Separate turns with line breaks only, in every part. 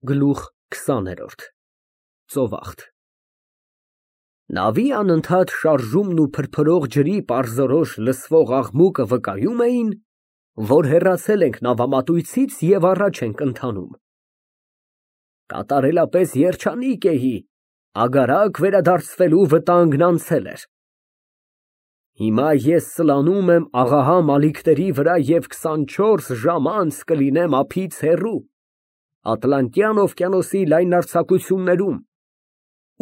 Գլուխ 20 Ծովախտ Նավի անընդհատ շարժումն ու փրփրող ջրի պարզորոշ լսվող աղմուկը վկայում էին, որ հեռացել ենք նավամատույցից և առաջ ենք ընթանում։ Կատարելապես երջանիկ էի, ագարակ վերադարձնելու վտանգն անցել էր։ Հիմա ես սլանում եմ աղահա մալիքների վրա և 24 ժամ անց կլինեմ ափից հեռու, Ատլանտյան օվկիանոսի լայնարձակություններում,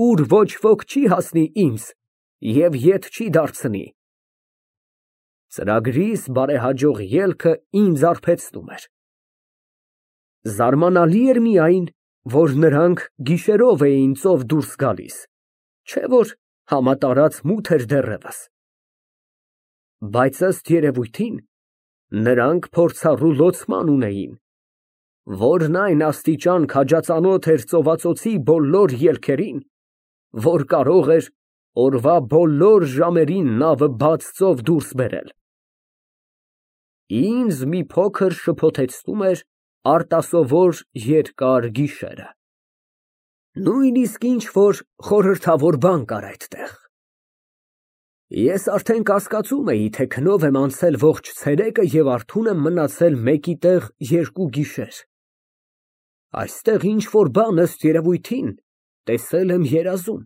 ուր ոչ ոք չի հասնի ինձ և ետ չի դարձնի։ Ծրագրիս բարեհաջող ելքը ինձ հարբեցնում էր։ Զարմանալի էր միայն, որ նրանք գիշերով էին ծով դուրս գալիս, չէ որ համատարած մութ էր դեռևս։ Բայց ըստ երևույթին, նրանք փորձառու լոցման ունեին, որն այն աստիճան քաջածանոթ էր ծովածոցի բոլոր ելքերին, որ կարող էր օրվա բոլոր ժամերին նավը բաց ծով դուրս բերել։ Ինձ մի փոքր շփոթեցնում էր արտասովոր երկար գիշերը։ Նույնիսկ ինչ֊որ խորհրդավոր բան կար այդտեղ։ Ես արդեն կասկածում էի, թե քնով եմ անցել ողջ ցերեկը և արթուն եմ մնացել մեկի տեղ 2 գիշեր։ Այստեղ ինչ֊որ բան, ըստ երևույթին, տեսել եմ երազում։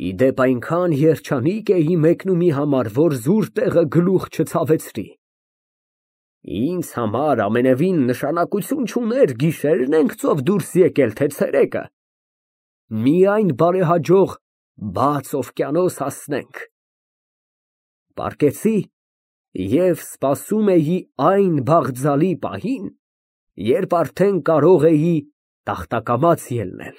Ի դեպ, այնքան երջանիկ էի մեկնումի համար, որ զուր տեղը գլուխ չցավեցրի։ Ինձ համար ամենևին նշանակություն չուներ գիշերն ենք ծով դուրս եկել, թե ցերեկը, միայն բարեհաջող բաց օվկիանոս հասնենք։ Պառկեցի և սպասում էի այն բաղձալի պահին, երբ արդեն կարող էի տախտակամաց ելնել։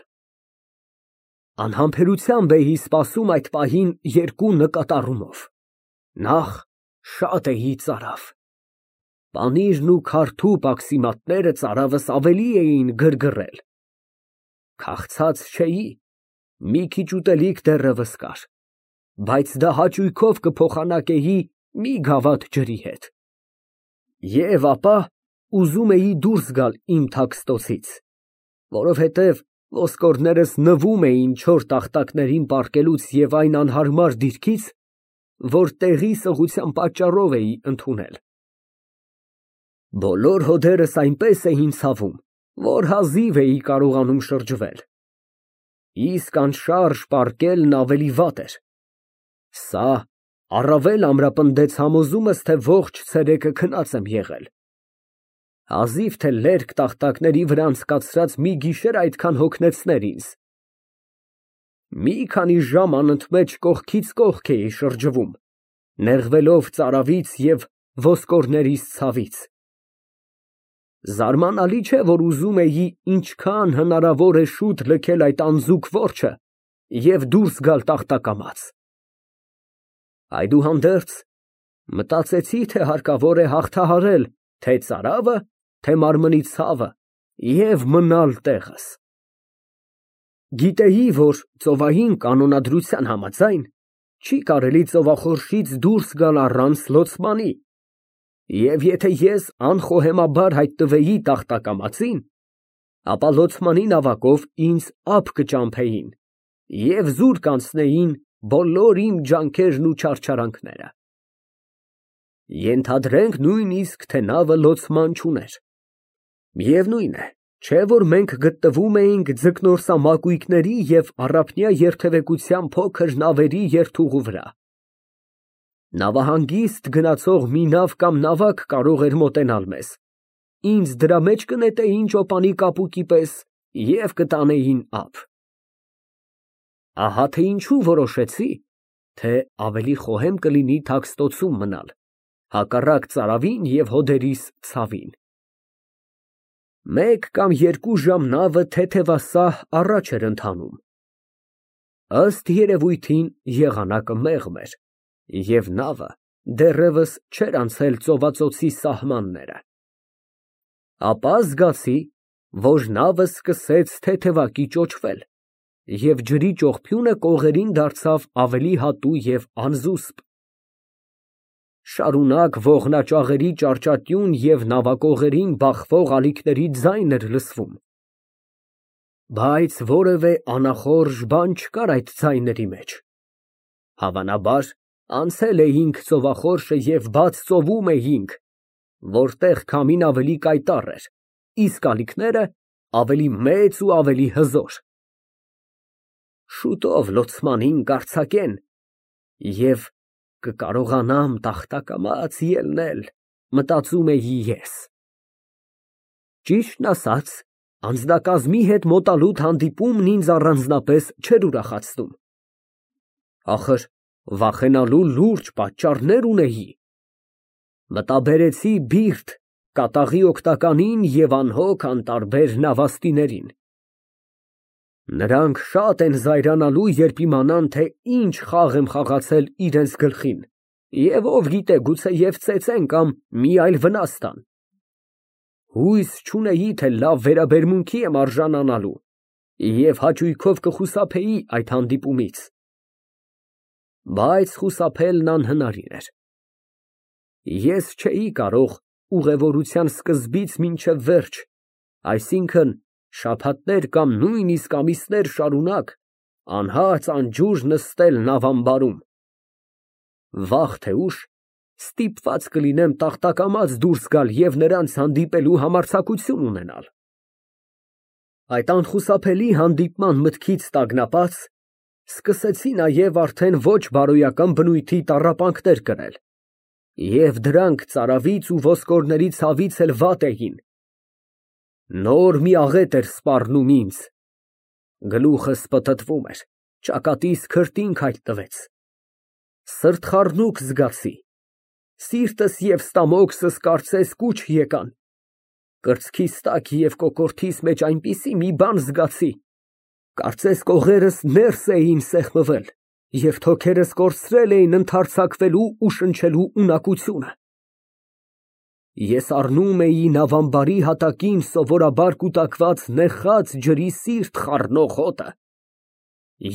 Անհամբերությամբ էի սպասում այդ պահին 2 նկատառումով. նախ շատ էի ծարավ։ Պանիրն ու քարդու պաքսիմատները ծարավս ավելի էին գրգռել։ Քաղցած չէի, մի քիչ ուտելիք դեռևս կար, բայց դա հաճույքով կփոխանակեի մի գավաթ ջրի հետ։ Եվ ապա ուզում էի դուրս գալ իմ թաքստոցից, որովհետև ոսկորներս նվում էին չոր տախտակներին պառկելուց և այն անհարմար դիրքից, որ տեղի սղության պատճառով էի ընդունել։ Բոլոր հոդերս այնպես էին ցավում, որ հազիվ էի կարողանում շրջվել։ Իսկ անշարժ պառկելն ավելի վատ էր։ Սա առավել ամրապնդեց համոզումս, թե ողջ ցերեկը քնած եմ եղել։ Հազիվ թե լերկ տախտակների վրա անցկացրած մի գիշեր այդքան հոգնեցներ ինձ։ Մի քանի ժամ անընդմեջ կողքից կողք էի շրջվում, նեղվելով ծարավից և ոսկորներիս ցավից։ Զարմանալի չէ, որ ուզում էի ինչքան հնարավոր է շուտ լքել այդ անձուկ որջը և դուրս գալ տախտակամաց։ Այդուհանդերձ, մտածեցի, թե հարկավոր է հաղթահարել թե ծարավը, թե մարմնի ցավը և մնալ տեղս։ Գիտեի, որ ծովային կանոնադրության համաձայն չի կարելի ծովախորշից դուրս գալ առանց լոցմանի, և եթե ես անխոհեմաբար հայտնվեի տախտակամածին, ապա լոցմանի նավակով ինձ ափ կճամփեին և զուր կանցնեին բոլոր իմ ջանքերն ու չարչարանքները։ Ենթադրենք նույնիսկ, թե նավը լոցման չուներ։ Միևնույն է, չէ՞ որ մենք գտնվում էինք ձկնորսամակույկների և առափնյա երթևեկության փոքր նավերի երթուղու վրա։ Նավահանգիստ գնացող մի նավ կամ նավակ կարող էր մոտենալ մեզ, ինձ դրա մեջ կնետեին ճոպանի կապուկի պես և կտանեին ափ։ Ահա թե ինչու որոշեցի, թե ավելի խոհեմ կլինի թաքստոցում մնալ, հակառակ ծարավին և հոդերիս ցավին։ 1 կամ 2 ժամ նավը թեթևասահ առաջ էր ընթանում։ Ըստ երևույթին եղանակը մեղմ էր, և նավը դեռևս չէր անցել ծովածոցի սահմանները։ Ապա զգացի, որ նավը սկսեց թեթևակի ճոճվել, և ջրի ճողփյունը կողերին դարձավ ավելի հատու և անզուսպ։ Շարունակ ողնաճաղերի ճարճատյուն և նավակողերին բախվող ալիքների ձայն էր լսվում, Բայց որևէ անախորժ բան չկար այդ ձայների մեջ։ Հավանաբար, անցել էինք ծովախորշը և բաց ծովում էինք, որտեղ քամին ավելի կայտառ էր, իսկ ալիքները ավելի մեծ ու ավելի հզոր։ Շուտով լոցմանին կարձակեն և կկարողանամ տախտակամաց ելնել, մտածում էի ես։ Ճիշտն ասած, անձնակազմի հետ մոտալուտ հանդիպումն ինձ առանձնապես չէր ուրախացնում։ Ախր վախենալու լուրջ պատճառներ ունեի։ Մտաբերեցի բիրտ, կատաղի օգնականին և անհոգ անտարբեր նավաստիներին։ Նրանք շատ են զայրանալու, երբ իմանան, թե ինչ խաղ եմ խաղացել իրենց գլխին, և ով գիտե, գուցեև ծեծեն կամ մի այլ վնաս տան։ Հույս չունեի, թե լավ վերաբերմունքի եմ արժանանալու և հաճույքով կխուսափեի այդ հանդիպումից։ Բայց խուսափելն անհնարին էր։ Ես չէի կարող ուղևորության սկզբից մինչև վերջ, այսինքն շաբաթներ կամ նույնիսկ ամիսներ շարունակ անհած անջուր նստել նավամբարում։ Վաղ թե ուշ ստիպված կլինեմ տախտակամաց դուրս գալ և նրանց հանդիպելու համարձակություն ունենալ։ Այդ անխուսափելի հանդիպման մտքից տագնապած, սկսեցի նաև արդեն ոչ բարոյական բնույթի տառապանքներ կրել, և դրանք ծարավից ու ոսկորների ցավից էլ վատ էին։ Նոր մի աղետ էր սպառնում ինձ, գլուխս պտտվում էր, ճակատիս քրտինք հայտնվեց, սրտխառնոք զգացի, սիրտս և ստամոքսս կարծես կուչ եկան, կրծքիս տակ և կոկորդիս մեջ այնպիսի մի բան զգացի, կարծես կողերս ներս էին սեղմվել և թոքերս կորցրել էին ընդհարձակվելու ու շնչելու ունակությունը։ Ես առնում էի նավամբարի հատակին սովորաբար կուտակված նեխած ջրի սիրտ խառնող հոտը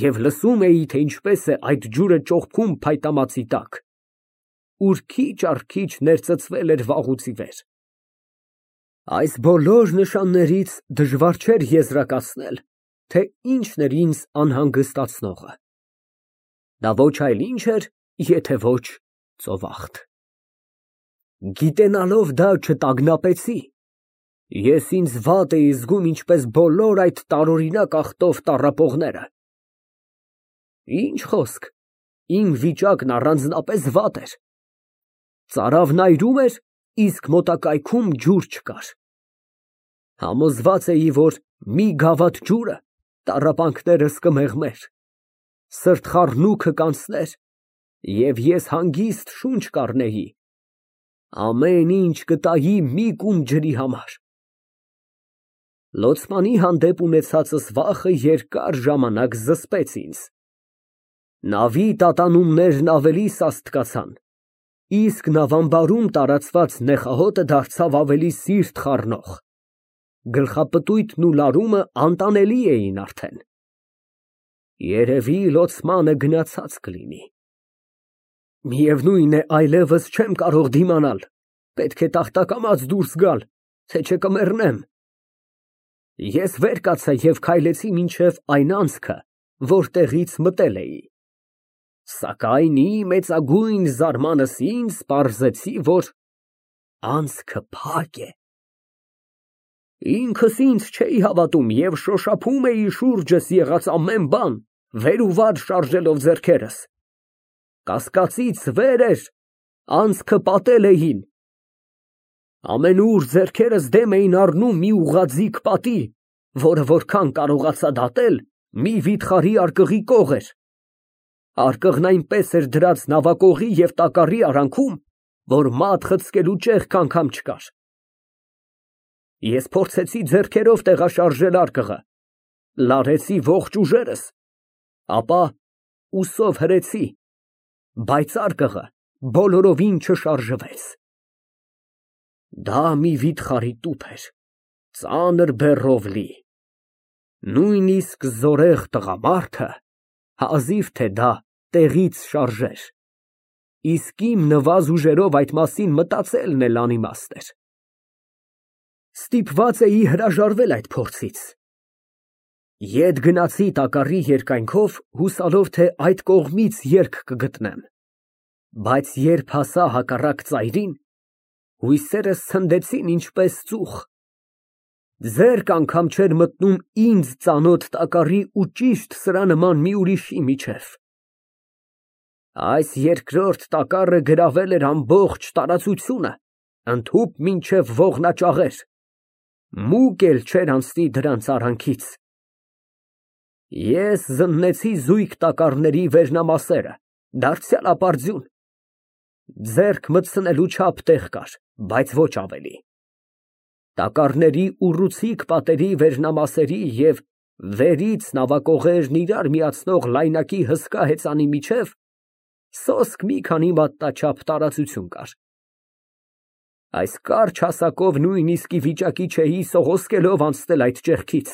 և լսում էի, թե ինչպես է այդ ջուրը ճողփում փայտամածի տակ, ուր քիչ առ քիչ ներծծվել էր վաղուց ի վեր։ Այս բոլոր նշաններից դժվար չէր եզրակացնել, թե ինչն էր ինձ անհանգստացնողը։ Դա ոչ այլ ինչ էր, եթե ոչ ծովախտ։ Գիտենալով դա չտագնապեցի։ Ես ինձ վատ էի զգում ինչպես բոլոր այդ տարօրինակ աղտով տառապողները։ Ինչ խոսք, իմ վիճակն առանձնապես վատ էր։ Ծարավն այրում էր, իսկ մոտակայքում ջուր չկար։ Համոզված էի, որ մի գավաթ ջուրը տառապանքներս կմեղմեր, սրտխառնոքը կանցներ, և ես հանգիստ շունչ կառնեի, ամեն ինչ կտայի մի կում ջրի համար։ Լոցմանի հանդեպ ունեցածս վախը երկար ժամանակ զսպեց ինձ։ Նավի տատանումներն ավելի սաստկացան, իսկ նավամբարում տարածված նեխահոտը դարձավ ավելի սիրտ խառնող, գլխապտույտն ու լարումը անտանելի էին արդեն։ Երևի լոցմանը գնացած կլինի։ Միևնույն է, այլևս չեմ կարող դիմանալ, պետք է տախտակամաց դուրս գալ, թե չէ կմեռնեմ։ Ես վեր կացա և քայլեցի մինչև այն անցքը, որտեղից մտել էի, սակայն ի մեծագույն զարմանս ինձ պարզեցի, որ անցքը փակ է։ Ինքս ինձ չէի հավատում և շոշափում էի շուրջս եղած ամեն բան, վեր ու վար շարժելով ձեռքերս։ Կասկածից վեր էր, անցքը պատել էին։ Ամենուր ձեռքերս դեմ էին առնում մի ուղղաձիգ պատի, որը որքան կարողացա դատել, մի վիթխարի արկղի կող էր։ Արկղն այնպես էր դրած նավակողի և տակառի արանքում, որ մատ խցկելու ճեղք անգամ չկար։ Ես փորձեցի ձեռքերով տեղաշարժել արկղը, լարեցի ողջ ուժերս, ապա ուսով հրեցի, բայց արկղը բոլորովին չշարժվեց։ Դա մի վիթխարի տուփ էր, ծանր բեռով լի։ Նույնիսկ զորեղ տղամարդը հազիվ թե դա տեղից շարժեր, իսկ իմ նվազ ուժերով այդ մասին մտածելն էլ անիմաստ էր։ Ստիպված էի հրաժարվել այդ փորձից։ Ետ գնացի տակառի երկայնքով, հուսալով, թե այդ կողմից ելք կգտնեմ, բայց երբ հասա հակառակ ծայրին, հույսերս ցնդեցին ինչպես ծուխ, ձեռք անգամ չէր մտնում ինձ ծանոթ տակառի ու ճիշտ սրա նման մի ուրիշի միջև։ Այս երկրորդ տակառը գրավել էր ամբողջ տարածությունը, ընդհուպ մինչև ողնաճաղեր, մուկ էլ չէր անցնի դրանց արանքից։ Ես զննեցի զույգ տակառների վերնամասերը, դարձյալ ապարդյուն, ձեռք մտցնելու չափ տեղ կար, բայց ոչ ավելի։ Տակառների ուռուցիկ պատերի վերնամասերի և վերից նավակողերն իրար միացնող լայնակի հսկա հեծանի միջև սոսկ մի քանի մատնաչափ տարածություն կար։ Այս կարճ հասակով նույնիսկ ի վիճակի չէի սողոսկելով անցնել այդ ճեղքից։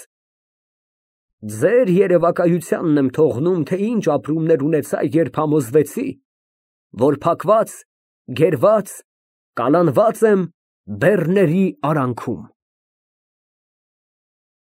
Ձեր երևակայությանն եմ թողնում, թե ինչ ապրումներ ունեցա, երբ համոզվեցի, որ փակված, գերված, կալանված եմ բեռների արանքում։